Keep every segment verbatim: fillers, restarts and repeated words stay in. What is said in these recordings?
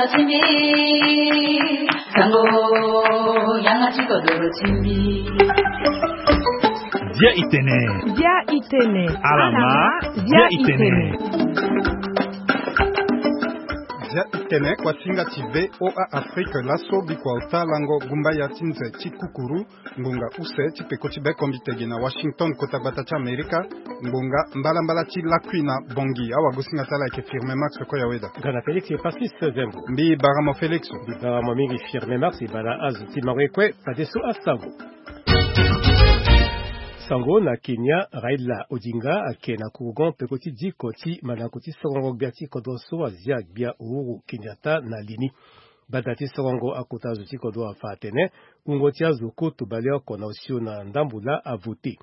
Dia itene. Dia itene. Alama. Dia itene. Dia itene, kuasinga ti V O A Afrique, laso bikua ota lango gumba ya ti nze ti kukuru. Ngonga use ti peko ti bekombitege na Washington, kota gbata ti Amerika. Ngonga mbalambala ti lakui na Bangui. Awagosinga ti ala ayeke Firme Max Koyaweda. Gana Félix Patrice Zembo. Mbi bara mo Félix. Mbi bara mo mingi Firme Max. E baa na azo ti mango ye kue, fadeso asango. Sango na Kenya, Raila Odinga ayeke na kurugon peko ti diko ti mandako ti sorongo gbia ti kodro so azia gbia Uhuru Kenyatta na li ni. Gbata ti sorongo akota zo ti kodro afa atene wungo ti azo koto baleoko na osio na ndambo laa avote.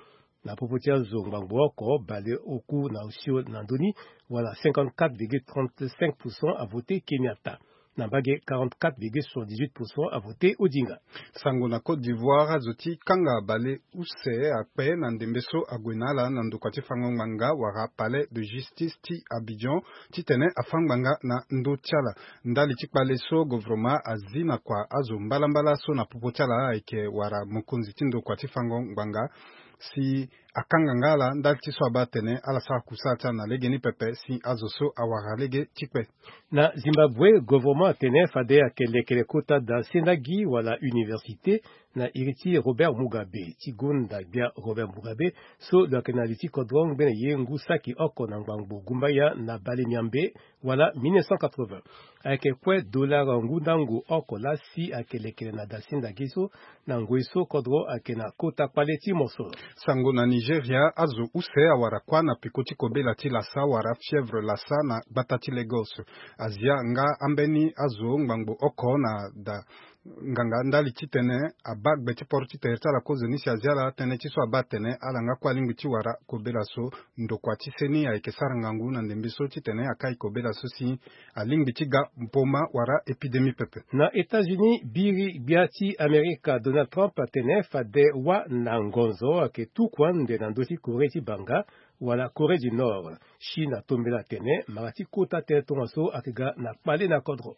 Na popo ti azo ngbangbo oko baleoku na osio na ndö ni, wala cinquante-quatre virgule trente-cinq pour cent avote Kenyatta. Na mbage quarante-quatre virgule soixante-dix-huit pour cent avote Odinga. Sango na Côte d'Ivoire, azo ti kanga baleuse akpe na ndembe so ague na ala na ndokua ti fango ngbanga wala Palais de Justice ti Abidjan titene afa ngbanga na ndö ti ala. Ndali ti kpale so govoroma azi na kua azo mbalambala so na popo ti ala ayeke wara mokonzi ti ndokua ti fango ngbanga, si akanga nga ala ndali ti so abaa atene ala sara kusala ti ala na legeni pepe si azo so awara lege ti kpe. Na Zimbabwe, govoroma atene fade ayeke lekere kota da sendagi wala université na iri ti Robert Mugabe, ti gonda gbia Robert Mugabe so lo yeke na li ti kodro ngbene ye ngu saki oko na ngbangbo gumbaya na bale miambe, wala mille neuf cent quatre-vingts. Ayeke kue dollar ngu ndango oko laa si ayeke lekere na da sendagi so na ngoi so kodro ayeke na kota kpale ti mosoro. Sango na Nigeria, azo use awara kuâ na peko ti kobela ti lasa wala fièvre lasa na gbata ti Lagos. Azia nga ambeni azo ngbangbo oko na da nganga ndali titene abaa gbe ti poro ti tere ti ala kozoni si azia ala tënë ti so abaa atene ala nga kue alingbi ti wara kobela so. Ndokua ti seni ayeke sara ngangu na ndembe so titene akai kobela so si alingbi ti ga mpoma wala épidémie pepe. Na États-Unis, biri gbia ti Amerika Donald Trump atene fade wâ na ngonzo ayeke tuku ande na ndö ti Corée ti banga wala Corée du Nord. Chine atombela atene mara ti kota tënë tongaso ayeke ga na kpale na kodro.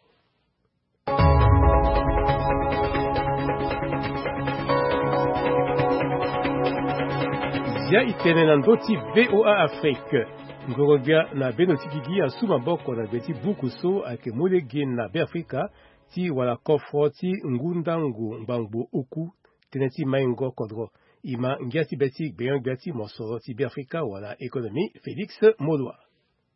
Zia itene na ndö ti V O A Afrique. Ngoro-gbia na bendo ti gigi asu maboko na gbe ti buku so ayeke mu lege na Beafrika ti wala kofro ti ngu ndango ngbangbo oku, tënë ti maingo kodro. E ma ngia ti be ti gbenyo-gbia ti mosoro ti Beafrika wala économie, Félix Molua.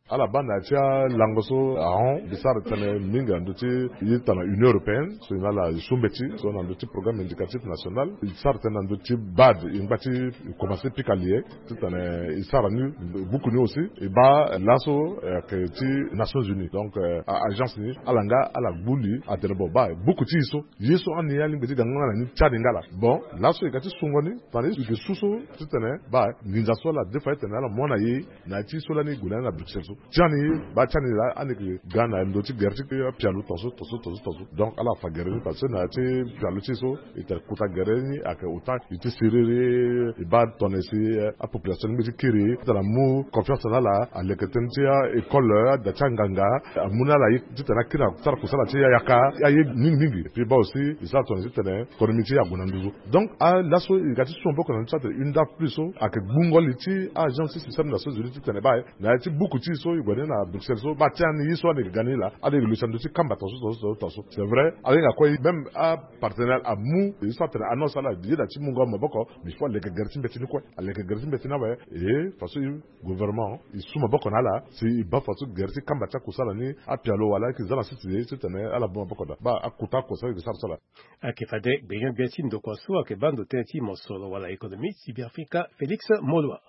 Ala baa na ya ti alango so ahon, e sara tënë mingi na ndö ti ye ti tana Union européenne so e na ala e su mbeti so na ndö ti programme indicatif national. E sara tënë na ndö ti BAD, e ngba ti e komanse pika li ye titene e sara ni, buku ni aussi e baa laso, eh, ayeke ti Nations Unies, donc, eh, a- agence ni ala nga ala gbu li atene bon baa buku ti e so, ye so ani alingbi ti ga nga na ni ti ani nga laa. Bon, laso e ga ti sungo ni tana e yeke su so titene baa nginza so ala defa titene ala mu na e na ya ti so lani e gue na ni na Bruxelles so. Ti ani baa ti ani laa ani yeke ga na ndö ti gere ti apialo tongaso tongaso tongaso tongaso. Donc ala fa gere ni parce que na ya ti pialo ti e so e tene kota gere ni ayeke ota e ti siriri, e baa tongana si, eh, apopulation ni ngbeti kiri titene amu confiance na ala, aleke tënë ti a-école, ada ti anganga, amu na ala ye titene akiri na sara kusala ti yaka aye mingi mingi. Et puis baa aussi e sara tongana si titene économie ti e ague na nduzu. Donc alaso e ga ti su maboko na ndö ti atene une date plus so ayeke gbungo li ti agence ti système des Nations Unies titene baa na ya ti buku ti e so e gue ni na Bruxelles so baa ti ani ye so ani yeke ga ni laa, ani yeke luti na ndö ti kamba tongaso tongaso tongaso tongaso. C'est vrai, ahinga kue même apartenaire amu ye so atene annonce ala ye na ti mungo maboko, mais il faut aleke gere ti mbeti ni kue, aleke gere ti mbeti ni awe. E façon gouvernement e su maboko na ala si e baa façon gere ti kamba ti akusala ni, apialo wala ayeke za na sese ye titene ala mu maboko daa baa akota akusala e yeke sara so ala. Ayeke fade gbenyo-gbia ti ndokua so ayeke baa ndo tënë ti mosoro wala économie ti Beafrika, Félix Molua.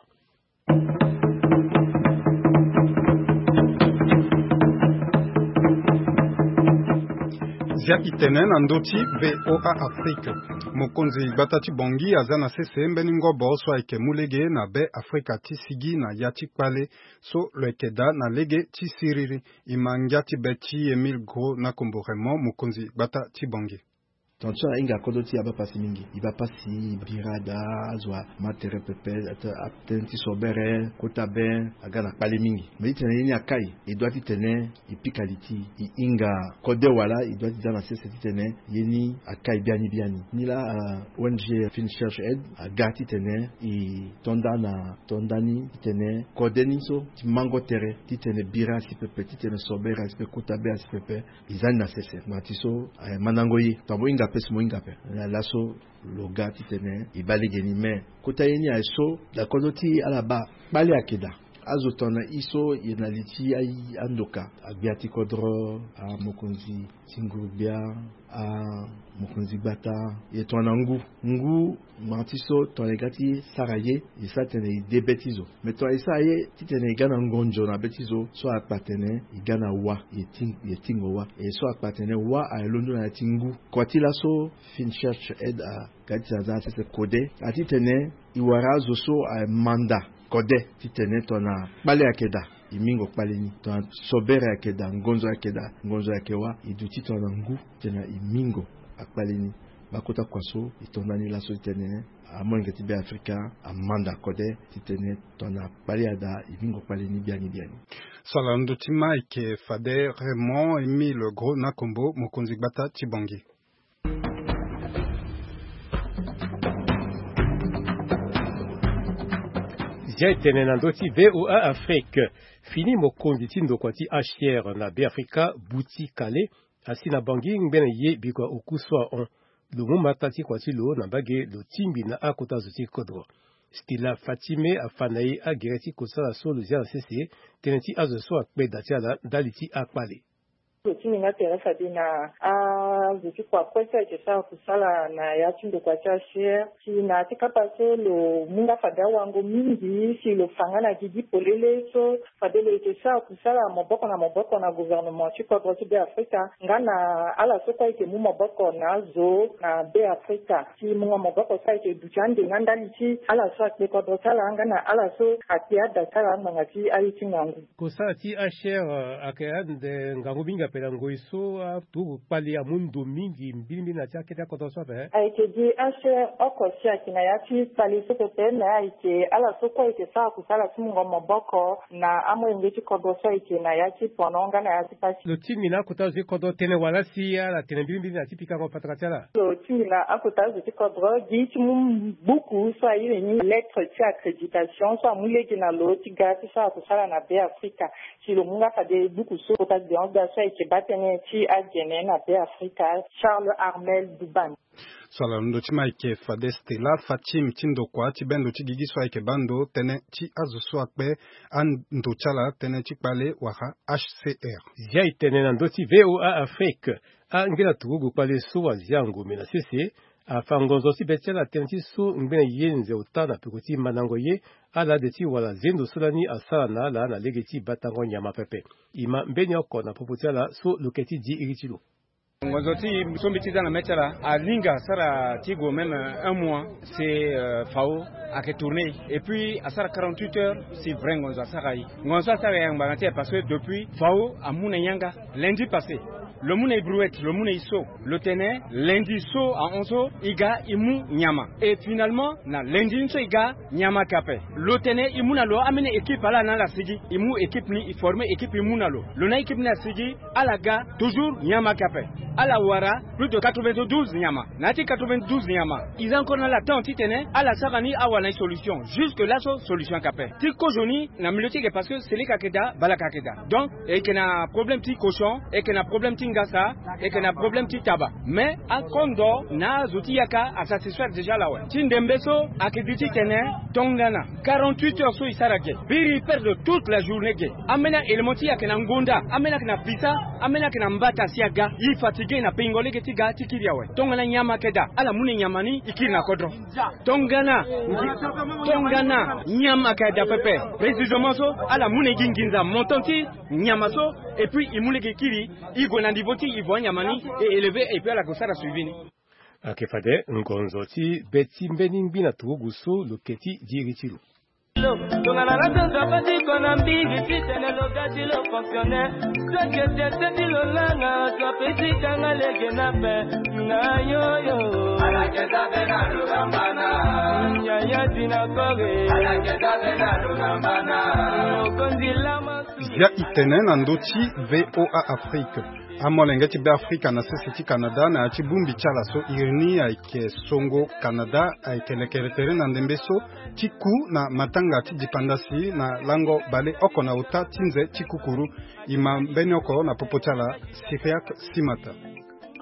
Zia itene na ndö ti V O A Afrique. Mokonzi gbata ti Bangui aza na sese mbeni ngobo so ayeke mu lege na Beafrika ti sigi na ya ti kpale so lo yeke daa na lege ti siriri. E ma ngia ti be ti Émile Gros na Kombo Raymond, mokonzi gbata ti Bangui. Tongana so ahinga kodro ti e abaa pasi mingi, e baa pasi, bira daa, azo ama tere pepe, atene ti sobere, kota be, aga na kpale mingi. Mais titene ye ni akai, e doit titene e pika li ti e, e hinga kode wala e doit ti za na sese titene ye ni akai biani biani. Ni laa, ah, O N G Fin Church Aid aga titene e to nda na to nda ni titene kode ni so ti mango tere titene bira asi pepe, titene sobere asi pepe, kota be asi pepe, e za ni na sese. Ngba ti so, eh, mandango ye. Tongana mo hinga ape si mo hinga ape. Laso lo ga titene e baa lege ni. Mais kota ye ni aye so, da kodro ti ala baa kpale ayeke daa. Azo tongana e so e na li ti a-, andoka, agbia ti kodro, amokonzi ti nguru-gbia, amokonzi gbata, e tongana ngu. Ngu, ngba ti so tongana e ga ti sara ye, e sara titene e de be ti zo. Mais tongana e sara ye titene e ga na ngonzo na be ti zo, so akpa tene e ga na wa, e ti, e tingo wa. E so akpa tene wa aye londo na ya ti ngu. Kua ti laso Fin Church Aid aga titene aza na sese kode, atitene e wara azo so aye manda kode titene tongana kpale ayeke daa, e mingo kpale ni. Tongana sobere ayeke daa, ngonzo ayeke daa, ngonzo ayeke wa, e duti tongana ngu titene e mingo akpale ni. Baa kota kua so e to nda ni laso titene amolenge ti Beafrika amanda kode titene tongana kpale adaa, e mingo kpale ni biani biani. So ala ndö ti ma ayeke fade Raymond Émile Gros Nakombo, mokonzi gbata ti Bangui. Zia etene na ndö ti V O A Afrique. Fini mokonzi ti ndokua ti H C R na Beafrika, Buti Kale, asi na Bangui ngbene ye bikua oku so ahon. Lo mu mata ti kua ti lo na mbage lo tingbi na akota zo ti kodro. Stella Fatime afa na e agere ti kosala so lo zia na sese, tënë ti azo so akpe da ti ala ndali ti akpale. Lo ti nginga tere fade na azo ti kua kue so ayeke sara kusala na ya ti ndokua ti H C R. Si na ya ti kapa so lo mu nga fade awango mingi si lo fa nga na gigi polele so fade lo yeke sara kusala maboko na maboko na gouvernement ti kodro ti Beafrika nga na ala so kue ayeke mu maboko na azo na Beafrika. Si mungo maboko so ayeke duti ande nga ndali ti ala so akpe kodro ti ala nga na ala so akpe ada ti ala ngbanga ti aye ti ngangu. Kosala ti H C R, eh, ayeke ande ngangu mingi ape na ngoi so aturugu kpale amu ndo mingi mbirimbiri na ya ti akete akodro so ape. Ayeke gi H C R oko si ayeke na ya ti kpale so pepe, me ayeke ala so kue ayeke sara kusala ti mungo maboko na amolenge ti kodro so ayeke na ya ti pono nga na ya ti pasi. Lo tingbi na akota zo ti kodro tënë wala si ala tene mbirimbiri na ya ti pikango patara ti ala? Lo tingbi na akota zo ti kodro gi ti mu buku so airi ni lettre ti accréditation so amu lege na lo ti ga ti sara kusala na Beafrika. Si lo mu nga fade buku so kota gbia so ayeke baa tënë ti agene na Beafrika, Charles Armel Duban. So ala londo ti ma ayeke fade Stella Fatim ti ndokua ti bendo ti gigi so ayeke baa ndo tënë ti azo so akpe ando ti ala tënë ti kpale wala H C R. Zia etene na ndö ti V O A Afrique. Angena turugu kpale so azia ngombe na sese afa ngonzo ti be ti ala tënë ti so ngbene ye nze ota na peko ti mandango ye, ala de ti wala zendo so lani asara na ala na lege ti batango nyama pepe. E ma mbeni oko na popo ti ala so lo ke ti di iri ti lo. Ngonzo ti e so mbi ti za na mê ti ala alinga asara ti gue même un mois. C'est, euh, Fao ayeke tourner et puis asara quarante-huit heures si vrai ngonzo asara e. Ngonzo asara e ngbanga ti e parce que depuis Fao amu na e yanga lundi passé. Lo mu na e brouette, lo mu na e so. Lo tene lundi so ahon so e ga e mu nyama. Et finalement na lundi ni so e ga nyama ayeke ape. Lo tene e mu na lo ambeni équipe ala na ala asigi. E mu équipe ni, e former équipe, e mu na lo. Lo na équipe ni asigi, ala ga toujours nyama ayeke ape. Ala wara plus de quatre-vingt-douze nyama. Na ya ti quatre-vingt-douze nyama, e za encore na ala temps titene ala sara ni awara na e solution. Jusque là so solution ayeke ape. Ti kozo ni na milieu ti e ayeke parce que celui ayeke daa, balaka ayeke daa. Donc e yeke na problème ti cochon, e yeke na problème ti ngasa, e yeke na problème ti taba. Mais akondo na azo ti yaka asatisfaire déjà ala awe. Ti ndembe so ayeke gi titene tongana quarante-huit heures so e sara ge, biri e perdre toute la journée ge. Ambeni a-élément ti e ayeke na ngonda, ambeni ayeke na pisa, ambeni ayeke na mbata si aga. E fatigué na pengo lege ti ga ti kiri awe. Tongana nyama ayeke daa, ala mu na e nyama ni e kiri na kodro. Tongana, tongana nyama ayeke daa pepe, précisément so ala mu na e gi nginza montant ti nyama so, et puis e mu lege e kiri, e gue na niveau ti niveau anyama ni e élevé, et puis ala gue sara suivi ni. Ayeke fade ngonzo ti be ti mbeni ngbi na turugu so lo ke ti di iri ti lo. Tongana na sanza patiko na mbigi titene logati lo fonctionne. Soki etiete ti lolanga so apesi kanga lege na pe na yoyo. Yaya dina kore. Mokonzi lama. Zia itene na ndö ti VOA Afrique. Amolenge ti Beafrika na sese ti Canada na ya ti bongbi ti ala so iri ni ayeke songo Canada ayeke lekere tere na ndembe so ti ku na matanga ti dipandasi na lango baleoko na ota ti nze ti kukuru. E ma mbeni oko na popo ti ala Cyriaque Simata.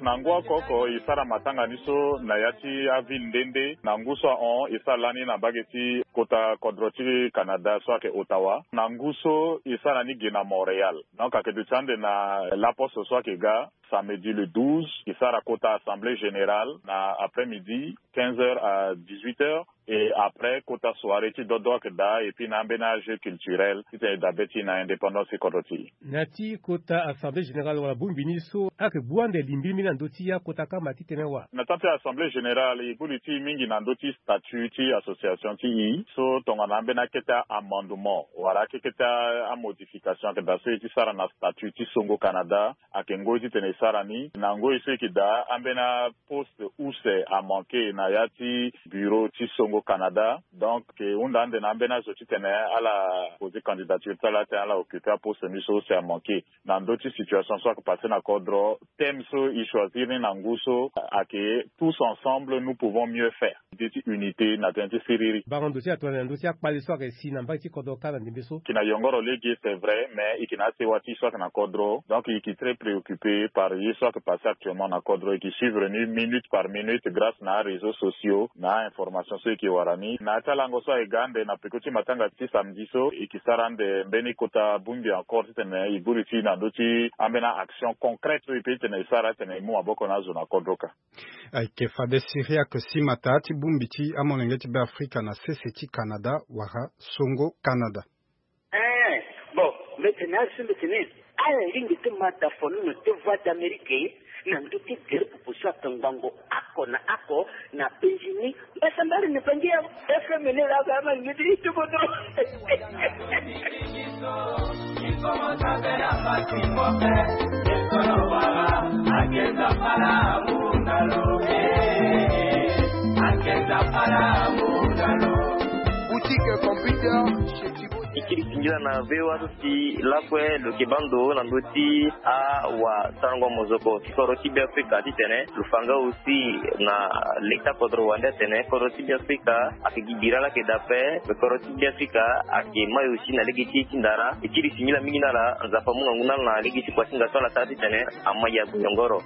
Na ngu oko oko e sara matanga ni so na ya ti aville nde nde. Na ngu so ahon e sara lani na mbage ti kota kodro ti Canada so ayeke Ottawa. Na ngu so e sara ni ge na Montréal. Donc ayeke duti ande na laposte so ayeke ga samedi le douze e sara kota assemblée générale na après-midi, quinze heures à dix-huit heures. Et après kota soirée ti dodo ayeke daa et puis na ambeni ajeu culturel titene e dabe ti na indépendance ti kodro ti e. Na ya ti kota assemblée générale wala bongbi ni so ayeke gbu ande limbilimbi na ndö ti akota kama titene wa. Na temps ti assemblée générale e gbu li ti e mingi na ndö ti statut ti association ti e so tongana ambeni akete amendement wala akete amodification ayeke daa so e ti sara na statut ti Songo Canada. Ayeke ngoi titene e sara ni na ngoi so e yeke daa ambeni aposte use amanke na ya ti bureau ti Songo Canada. Donc e hunda ande na ambeni azo titene ala poser candidature ti ala titene ala occuper aposte ni so use amanke. Na ndö ti situation so ayeke passe na kodro, thème so e choisir ni na ngu so ayeke tous ensemble nous pouvons mieux faire. Nde ti unité na tënë ti siriri. Bango ndo ti atongana na ndö ti akpale so ayeke si na mbage ti kodro kâ na ndembe so. E yeke na yongoro lege, c'est vrai, mais e yeke na asewa ti e so ayeke na kodro. Donc e yeke très préoccupé par ye so ayeke passe actuellement na kodro. E yeke suivre ni minute par minute grâce na aréseaux sociaux na ainformation so e yeke wara ni. Na ya ti alango so ayeke ga ande na peko ti matanga ti samedi so e yeke sara ande mbeni kota bongbi encore titene e gbu li ti e na ndö ti ambeni action concrète so e peut titene e sara titene e mu maboko na azo na kodro kâ. Ayeke fade Cyriaque Simata ti bongbi ti amolenge ti Beafrika na sese ti Canada wala Songo Canada. Eh, bon, mbi tene azo so mbi tene ala lingbi ti ma da follono ti Voix d'Amérique na ndö ti gere pupu so ayeke ngbongo oko na oko na penzi ni. Mbasambala ni bangi ya F M ni la ga ma ngiti itu bodo. Boutique computer chez Thibaut. E kiri singila na V O A so si lakue lo yeke baa ndo na ndö ti awasarango mozoko ti kodro ti Beafrika titene lo fa nga aussi na leta kodro wande atene kodro ti Beafrika ayeke gi bira laa ayeke daa ape. Me kodro ti Beafrika ayeke mai aussi na lege ti e ti ndara. E kiri singila mingi na ala, Nzapa amu ngangu na ala na lege ti kuasinga so ala sara titene ama ya gue yongoro.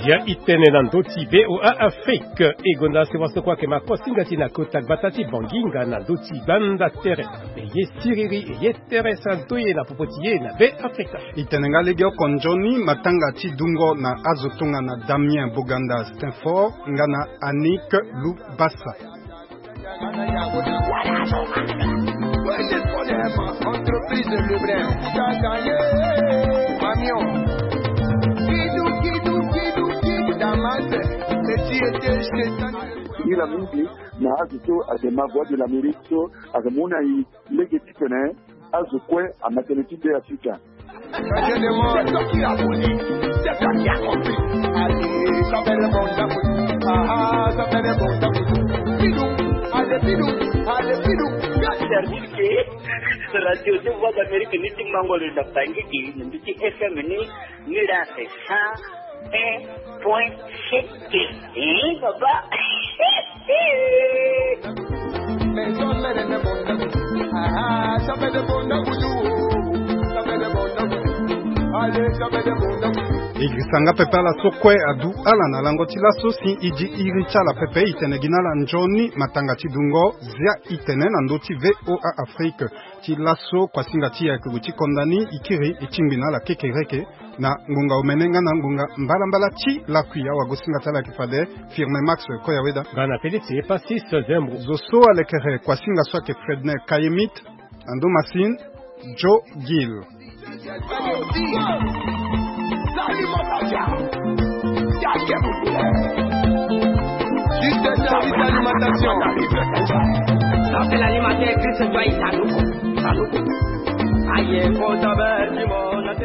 Ya itene na ndö ti V O A Afrique. E gonda sewa so kue ayeke ma kuasinga ti e na kota gbata ti Banginga na ndö ti gbanda tere. E ye siriri, e ye tere sara ndoye na popo ti e na Be Afrika. E tene nga legeoko nzoni matanga ti dungo na azo tongana Damien Boganda Stenfort nga na Annick Lubasa. Entreprise Lebrun. Camion. Kidou, kidou, kidou, kidou, Damas. Petit été chez Singila mingi na azo so ayeke ma Voix de l'Amérique so ayeke mu na e lege titene azo kue ama tënë ti Be Afrika. Service ke radio ti Voix d'Amérique ni ti mango lo na Bangui, na ndö ti F M ni, ni la c'est cent un point sept. Eh, papa. E girisa nga pepe ala so kue adu ala na lango ti laso si e di iri ti ala pepe. E tene gi na ala nzoni matanga ti dungo. Zia e tene na ndö ti V O A Afrique ti laso kuasinga ti e ayeke gue ti konda ni. E kiri e tingbi na ala kekereke na ngonga omene nga na ngonga mbalambala ti lakui. Awagosinga ti ala ayeke fade Firme Max Koyaweda nga na Félix Epasis Zembo. Zo so alekere kuasinga so ayeke Fredner Kayemit na ndo masini. Joe Gill. Juste un service d'alimentation. Ça, c'est l'alimentaire, Christ Joyce Saluku. Saluku. Aïe, bon, ça va, dis-moi, on a